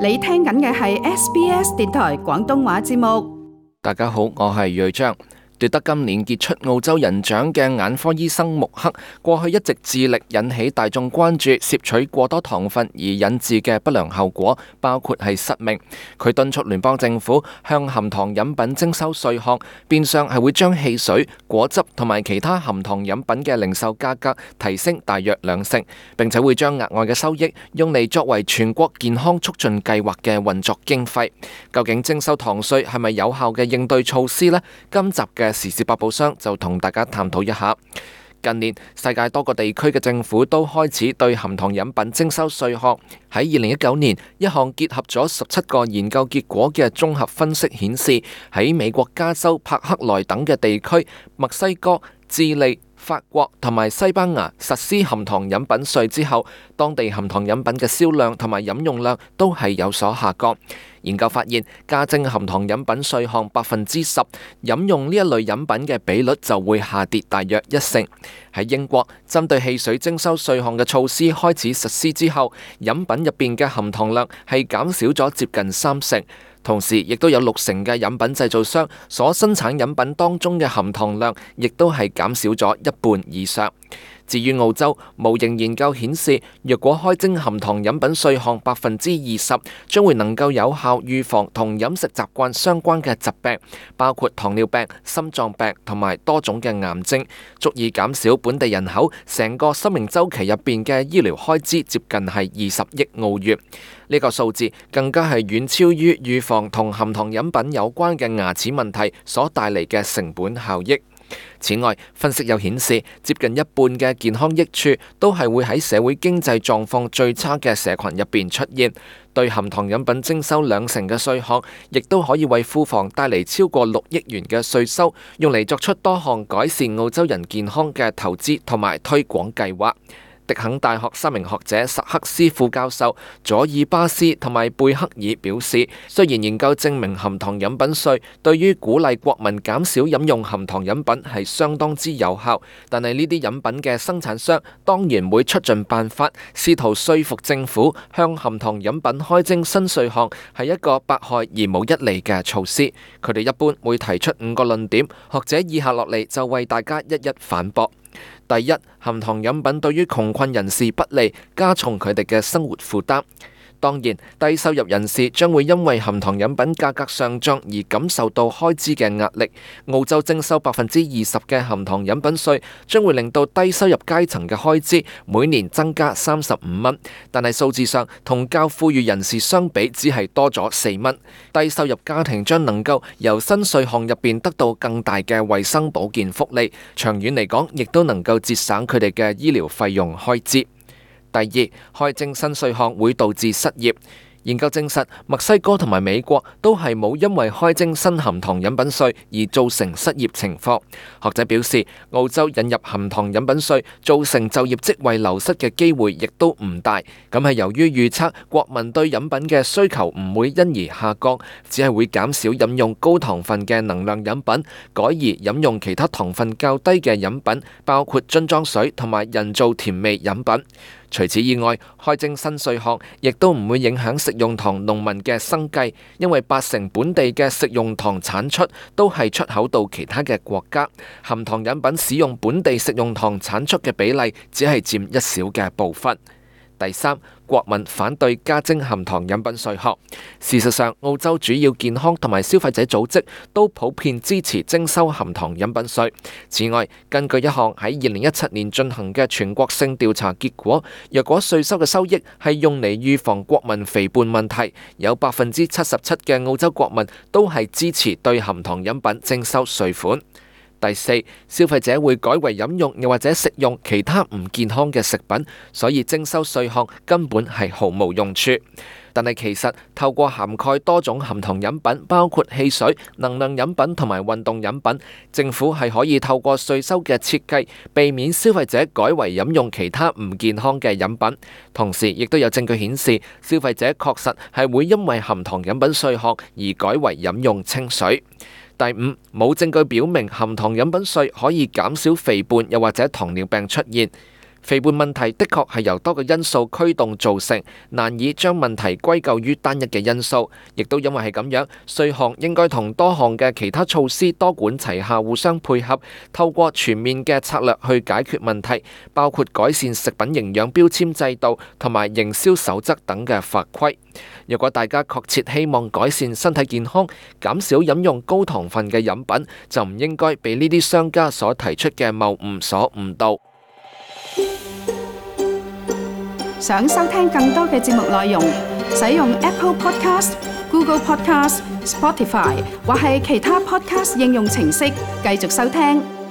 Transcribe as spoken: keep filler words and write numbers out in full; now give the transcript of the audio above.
你聽緊嘅係 S B S 電台廣東話節目。大家好，我係瑞章。奪得今年傑出澳洲人獎嘅眼科醫生穆克，過去一直致力引起大眾關注攝取過多糖分而引致嘅不良後果，包括係失明。佢敦促聯邦政府向含糖飲品徵收稅項，變相係會將汽水、果汁同埋其他含糖飲品嘅零售價格提升大約兩成，並且會將額外嘅收益用嚟作為全國健康促進計劃嘅運作經費。究竟徵收糖稅係咪有效嘅應對措施呢？今集嘅時事百寶箱就同大家探討一下。近年世界多個地區嘅政府都開始對含糖飲品徵收稅項。喺二零一九年，一項結合咗十七個研究結果嘅綜合分析顯示，喺美國加州柏克萊等嘅地區、墨西哥、智利、法國同埋西班牙實施含糖飲品稅之後，當地含糖飲品嘅銷量同埋飲用量都係有所下降。研究發現，加徵含糖飲品稅項百分之十，飲用呢一類飲品嘅比率就會下跌大約一成。喺英國，針對汽水徵收稅項嘅措施開始實施之後，飲品入邊嘅含糖量係減少咗接近三成。同時，亦都有六成嘅飲品製造商所生產飲品當中嘅含糖量，亦都係減少咗一半以上。至於澳洲，模型研究顯示，若果開徵含糖飲品稅項百分之二十，將會能夠有效預防同飲食習慣相關嘅疾病，包括糖尿病、心臟病同埋多種嘅癌症，足以減少本地人口成個生命週期入邊嘅醫療開支接近係二十億澳元。呢個數字更加係遠超於預防同含糖飲品有關嘅牙齒問題所帶嚟嘅成本效益。此外，分析又顯示，接近一半嘅健康益處都係會喺社會經濟狀況最差嘅社群入邊出現。對含糖飲品徵收兩成嘅稅項，亦都可以為庫房帶嚟超過六億元嘅稅收，用嚟作出多項改善澳洲人健康嘅投資同埋推廣計劃。迪肯大學三名學者薩克斯副教授、佐爾巴斯同埋貝克爾表示，雖然研究證明含糖飲品稅對於鼓勵國民減少飲用含糖飲品係相當之有效，但係呢啲飲品嘅生產商當然會出盡辦法，試圖說服政府向含糖飲品開徵新稅項係一個百害而無一利嘅措施。佢哋一般會提出五個論點，學者以下落嚟就為大家一一反駁。第一，含糖飲品對於窮困人士不利，加重佢哋嘅生活負擔。當然，低收入人士將會因為含糖飲品價格上漲而感受到開支嘅壓力。澳洲徵收百分之二十嘅含糖飲品稅，將會令到低收入階層嘅開支每年增加三十五蚊，但係數字上同較富裕人士相比，只係多咗四蚊。低收入家庭將能夠由新稅項入邊得到更大嘅衛生保健福利，長遠嚟講，亦都能夠節省佢哋嘅醫療費用開支。第二，開徵新稅項會導致失業。研究證實，墨西哥同埋美國都係冇因為開徵新含糖飲品稅而造成失業情況。學者表示，澳洲引入含糖飲品稅造成就業職位流失嘅機會亦都唔大。咁係由於預測國民對飲品嘅需求唔會因而下降，只係會減少飲用高糖分嘅能量飲品，改而飲用其他糖分較低嘅飲品，包括樽裝水同埋人造甜味飲品。除此以外，開徵新稅項亦都唔會影響食用糖農民嘅生計，因為八成本地嘅食用糖產出都係出口到其他嘅國家，含糖飲品使用本地食用糖產出嘅比例只係佔一小嘅部分。第三，國民反對加徵含糖飲品稅項。事實上，澳洲主要健康同埋消費者組織都普遍支持徵收含糖飲品稅。此外，根據一項喺二零一七年進行嘅全國性調查結果，若果稅收嘅收益係用嚟預防國民肥胖問題，有百分之七十七嘅澳洲國民都係支持對含糖飲品徵收稅款。第四，消費者會改為飲用又或者食用其他唔健康嘅食品，所以徵收稅項根本係毫無用處。但係其實透過涵蓋多種含糖飲品，包括汽水、能量飲品同埋運動飲品，政府係可以透過稅收嘅設計，避免消費者改為飲用其他唔健康嘅飲品。同時，亦都有證據顯示，消費者確實係會因為含糖飲品稅項而改為飲用清水。第五，冇證據表明含糖飲品稅可以減少肥胖又或者糖尿病出現。肥胖問題的確係由多個因素驅動造成，難以將問題歸咎於單一嘅因素。亦都因為係咁樣，稅項應該同多項嘅其他措施多管齊下，互相配合，透過全面嘅策略去解決問題，包括改善食品營養標籤制度同埋營銷守則等嘅法規。如果大家確切希望改善身體健康，減少飲用高糖分嘅飲品，就唔應該被呢啲商家所提出嘅謬誤所誤導。想收聽更多嘅節目內容，使用 Apple Podcast、Google Podcast、Spotify 或係其他 Podcast 應用程式繼續收聽。